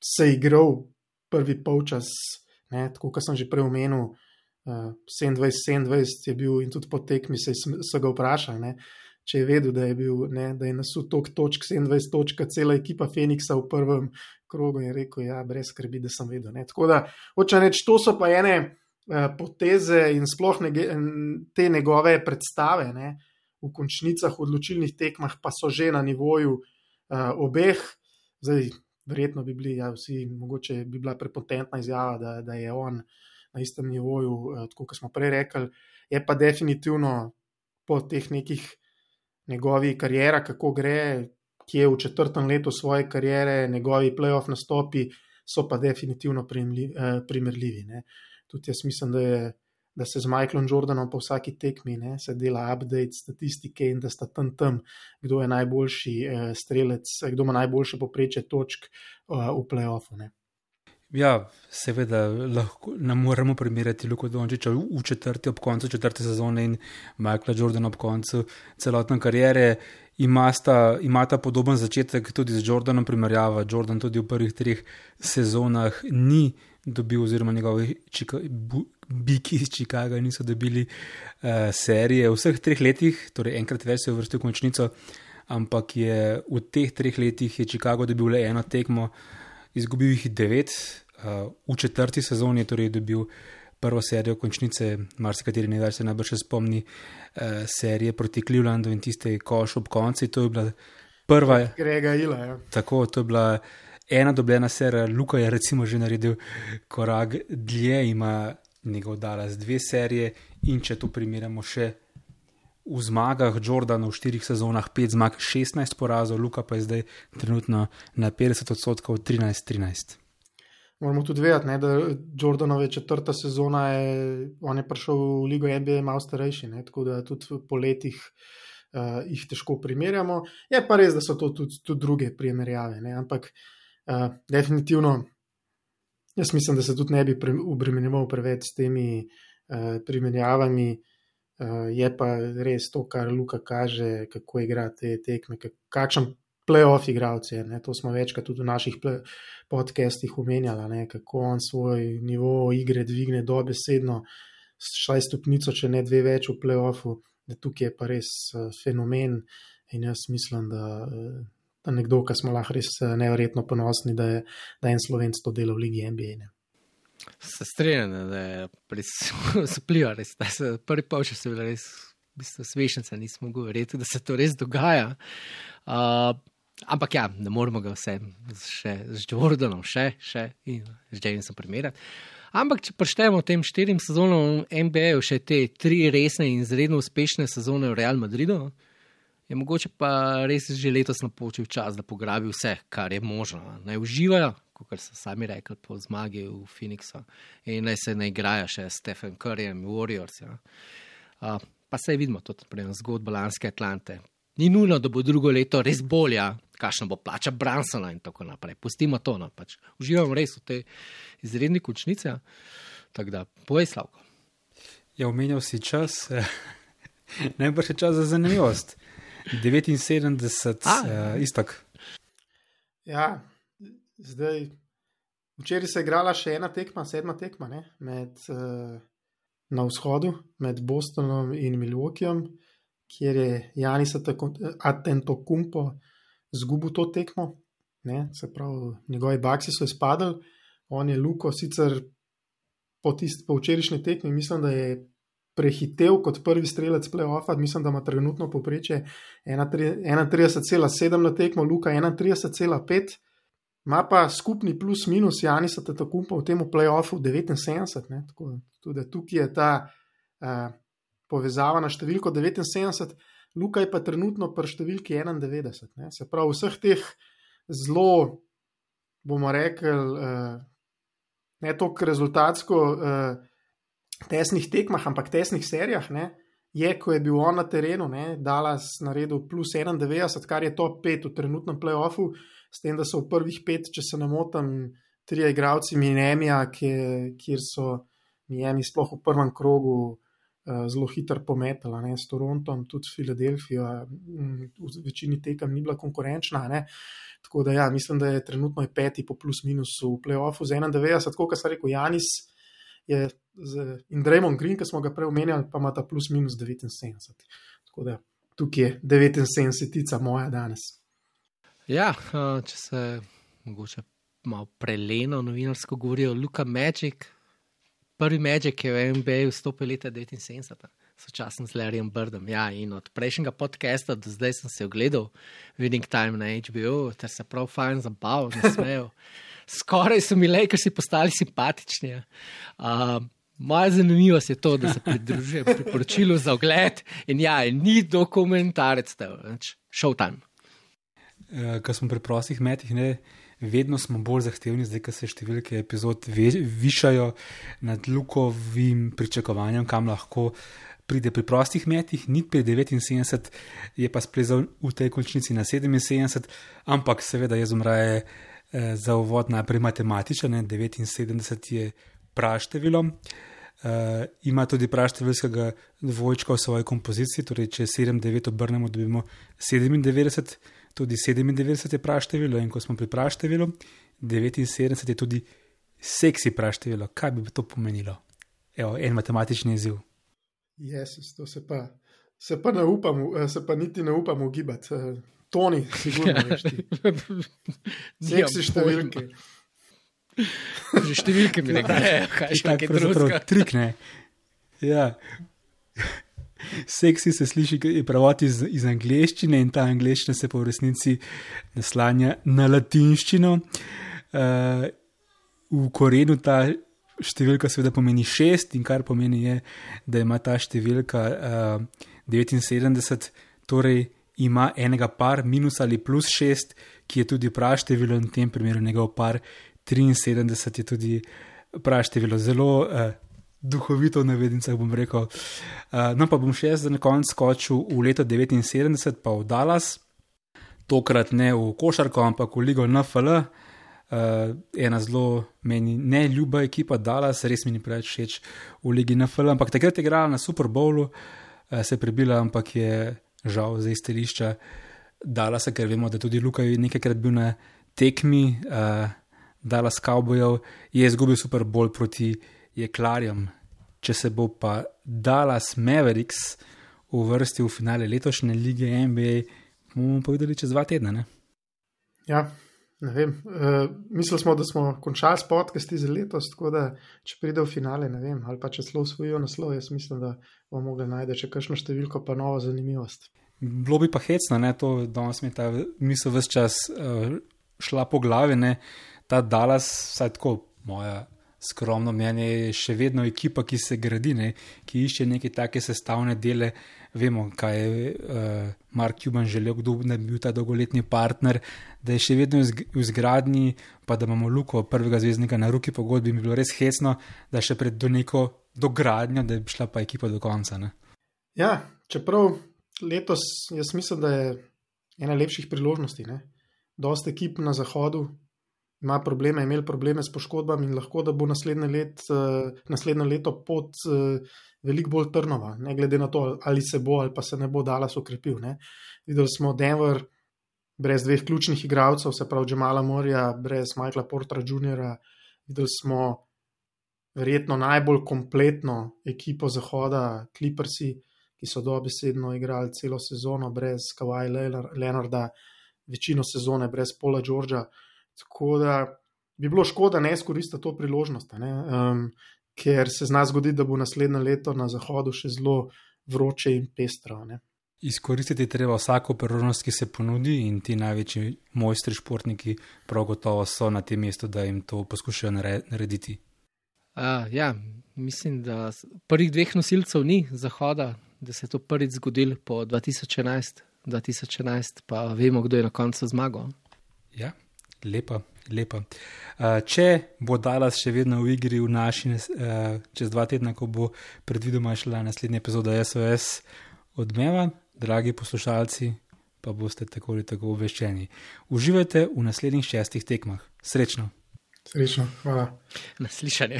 se igral prvi polčas, ne, tako kot sem že prej omenil, 27 je bil in tudi po tekmi so ga vprašali, ne, če je vedel, da je bil, ne, da je nasul toliko točk, 27 točk, cela ekipa Phoenixa v prvem krogu, in je rekel, ja, brez skrbi, da sem vedel, ne. Tako da, hočem reči, to so pa ene poteze in sploh te njegove predstave, ne, v končnicah, v odločilnih tekmah pa so že na nivoju obeh. Zdaj, verjetno bi bili, ja, vsi, mogoče bi bila prepotentna izjava, da je on na istem nivoju, tako kot smo prej rekli, je pa definitivno po teh nekih njegovi karijera, kako gre, ki je v 4. letu svoje karijere, njegovi playoff nastopi so pa definitivno primerljivi, ne. Tudi jaz mislim, da se z Michaelom Jordanom po vsaki tekmi, ne, se dela update statistike in da sta tam, kdo je najboljši strelec, kdo ima najboljše povprečje točk v play-offu, ne. Ja, seveda lahko ne moremo primerjati Luko Dončića ob koncu 4. sezone in Michaela Jordana ob koncu celotne kariere. Imata podoben začetek tudi z Jordanom primerjava. Jordan tudi v prvih 3 sezonah ni dobil, oziroma njegovi biki iz Chicaga niso dobili serije. V vseh 3 letih, torej enkrat več se je uvrstil v končnico, ampak je v teh 3 letih je Chicago dobil le eno tekmo, izgubil jih 9, v 4. sezoni, torej je dobil prvo serijo končnice, marsikateri največ se najbrž spomni serije proti Clevelandu in tiste koš ob konci, to je bila prva. Grega Ila, ja. Tako, to je bila ena dobljena serija. Luka je recimo že naredil korak dlje, ima njegov Dallas 2 serije in če to primerjamo še v zmagah, Jordan v 4 sezonah 5 zmag, 16 porazov, Luka pa je zdaj trenutno na 50% 13-13. Moramo tudi vedeti, ne, da Jordanove 4. sezona on je prišel v ligo NBA malo starejši, ne, tako da tudi po letih jih težko primerjamo. Je pa res, da so to tudi druge primerjave, ne, ampak definitivno jaz mislim, da se tudi ne bi obremenjeval preveč s temi primerjavami. Je pa res to, kar Luka kaže, kako igra te tekme, kakšen play-off igralec je, ne, to smo večkrat tudi v naših podcastih omenjali, ne, kako on svoj nivo igre dvigne dobesedno, šaj stopnico, če ne 2 več v play-offu, da tukaj je pa res fenomen in jaz mislim, da nekdo, ki smo lahko res neverjetno ponosni, da je en Slovenc to dela v ligi NBA, ne. Se strinjam, da je res vpliva, res, da se prvi polčas je bila res, v bistvu smešnica, nismo mogli verjeti, da se to res dogaja. Ampak ja, ne moramo ga vse še z Jordanom še in z Jamesom primerjati. Ampak, če preštejemo tem 4 sezonam NBA, še te 3 resne in izredno uspešne sezone v Real Madridu, je mogoče pa res že letos napočil čas, da pograbi vse, kar je možno. Naj uživajo, kot so sami rekli po zmagi v Phoenixu, in naj se ne igrajo še s Stephen Curryjem, Warriors. Ja. Pa sej vidimo tudi zgodbo lanske Atlante. Ni nujno, da bo drugo leto res bolja, kakšna bo plača Brunsona in tako naprej. Pustimo to, no, pač uživamo res v tej izredni končnici. Ja. Tako da, povej, Slavko. Ja, omenjal si čas, najbrž je čas za zanimivost. 79, Iztok. Ja, zdaj, včeraj se je igrala še ena tekma, 7. tekma, ne, na vzhodu, med Bostonom in Milwaukeejem, kjer je Giannis Antetokounmpo zgubil to tekmo, ne, se pravi, njegovi Bucksi so izpadli, on je Luko sicer po včerajšnji tekmi, mislim, da je prehitev kot prvi strelec play-offa, mislim, da ima trenutno povprečje 31,7 na tekmo, Luka 31,5, ima pa skupni plus minus Giannis Antetokounmpo v tem play-offu 79, ne, tako tudi tukaj je ta povezava na številko 79, Luka je pa trenutno pri številki 91, ne, se pravi vseh teh zelo, bomo rekli, ne toliko rezultatsko tesnih tekmah, ampak tesnih serijah, ne, je, ko je bil on na terenu, ne, Dallas naredil plus 91, kar je top 5 v trenutnem play-offu, s tem, da so v prvih 5, če se ne motim, 3 igralci Miamija, kjer so Miami sploh v prvem krogu zelo hitro pometala, ne, s Torontom, tudi Filadelfijo, v večini tekem ni bila konkurenčna, ne, tako da ja, mislim, da je trenutno 5 po plus minusu v play-offu z 91, tako kot sem rekel, Giannis je in Draymond Green, ki smo ga prej omenjali, pa ima ta plus minus 79. Tako da tukaj je 79-tica moja danes. Ja, če se mogoče malo preleno novinarsko govorijo, Luka Magic, prvi Magic je v NBA vstopil leta 79, sočasno z Larryjem Birdom. Ja, in od prejšnjega podcasta do zdaj sem se ogledal Winning Time na HBO, ter se prav fajn zabaval, nasmejal. Skoraj so mi Lakersi postali simpatični. Moja zanimivost je to, da se pridružujem priporočilu za ogled in ja, ni dokumentarec, Showtime. Ko smo pri prostih metih, ne, vedno smo bolj zahtevni, zdaj, ko se številke epizod višajo nad Lukovim pričakovanjem, kam lahko pride pri prostih metih, ni pri 79, je pa splezal v tej končnici na 77, ampak seveda jaz umraje za uvod najprej matematičen, 79 je praštevilo, ima tudi praštevilskega dvojčka v svoji kompoziciji, torej če 7-9 obrnemo, dobimo 97, tudi 97 je praštevilo in ko smo pri praštevilu, 79 je tudi seksi praštevilo. Kaj bi to pomenilo? Evo, en matematični izziv. Jezus, to se pa ne upam, se pa niti ne upam ugibati. Toni, sigurno veš ti. Seksi številke. Že številke mi ne grejo, kaj še nekaj drugega. Trik, ne. Ja. Seksi se sliši prevod iz angleščine in ta angleščina se po v resnici naslanja na latinščino. V korenu ta številka seveda pomeni 6 in kar pomeni je, da ima ta številka 79, torej ima enega par minus ali plus 6, ki je tudi praštevilo in v tem primeru njegov par 73 je tudi praštevilo. Zelo duhovito v navednicah bom rekel. No pa bom še jaz za na konec skočil v leto 79 pa v Dallas, tokrat ne v košarko, ampak v ligo NFL. Ena zelo meni neljuba ekipa Dallas, res mi ni preveč všeč v ligi NFL, ampak takrat je igrala na Super Bowlu, se je prebila, ampak je žal za izstelišča Dallasa, ker vemo, da tudi Luka je nekajkrat bil na tekmi Dallas Cowboyov, je izgubil Super Bowl proti jeklarjem. Če se bo pa Dallas Mavericks uvrstil v finale letošnje lige NBA, bomo povedali čez 2 tedna, ne? Ja, ne vem. Mislili smo, da smo končali s podcasti za letos, tako da če pride v finale, ne vem, ali pa če celo osvojijo naslov, jaz mislim, da bomo mogli najti še kakšno številko pa novo zanimivost. Bilo bi pa hecno, ne, to danes mi ta misel ves čas šla po glavi, ne, ta Dallas, vsaj tako moja skromno mnenje, je še vedno ekipa, ki se gradi, ne, ki išče neke take sestavne dele. Vemo, kaj je Mark Cuban želel, kdo bi bil ta dolgoletni partner, da je še vedno v izgradnji, pa da imamo Luko, prvega zvezdnika na ruki pogodbi, bi bilo res hecno, da še pred do neko dogradnjo, da bi šla pa ekipa do konca. Ne? Ja, čeprav letos jaz mislim, da je ena lepših priložnosti. Dost ekip na zahodu ima probleme, imeli probleme s poškodbami in lahko, da bo naslednje leto pot veliko bolj trnova, ne glede na to, ali se bo ali pa se ne bo Dallas okrepil. Videli smo Denver brez dveh ključnih igralcev, se pravi Jamala Murraya, brez Michaela Portera Jr. Videli smo verjetno najbolj kompletno ekipo zahoda, Clippersi, ki so dobesedno igrali celo sezono brez Kawhi Leonarda, večino sezone brez Paula Georgea. Tako da bi bilo škoda ne izkoristiti to priložnost, ker se zna zgoditi, da bo naslednje leto na zahodu še zelo vroče in pestro. Izkoristiti treba vsako priložnost, ki se ponudi, in ti največji mojstri športniki prav gotovo so na tem mestu, da jim to poskušajo narediti. Ja, mislim, da prvih dveh nosilcev ni zahoda, da se je to prvič zgodilo po 2011, pa vemo, kdo je na koncu zmagal. Ja, lepa. Če bo Dallas še vedno v igri v naši čez 2 tedna, ko bo predvidoma šla naslednja epizoda SOS Odmeva, dragi poslušalci, pa boste tako ali tako obveščeni. Uživajte v naslednjih 6 tekmah. Srečno. Hvala. Naslišanje.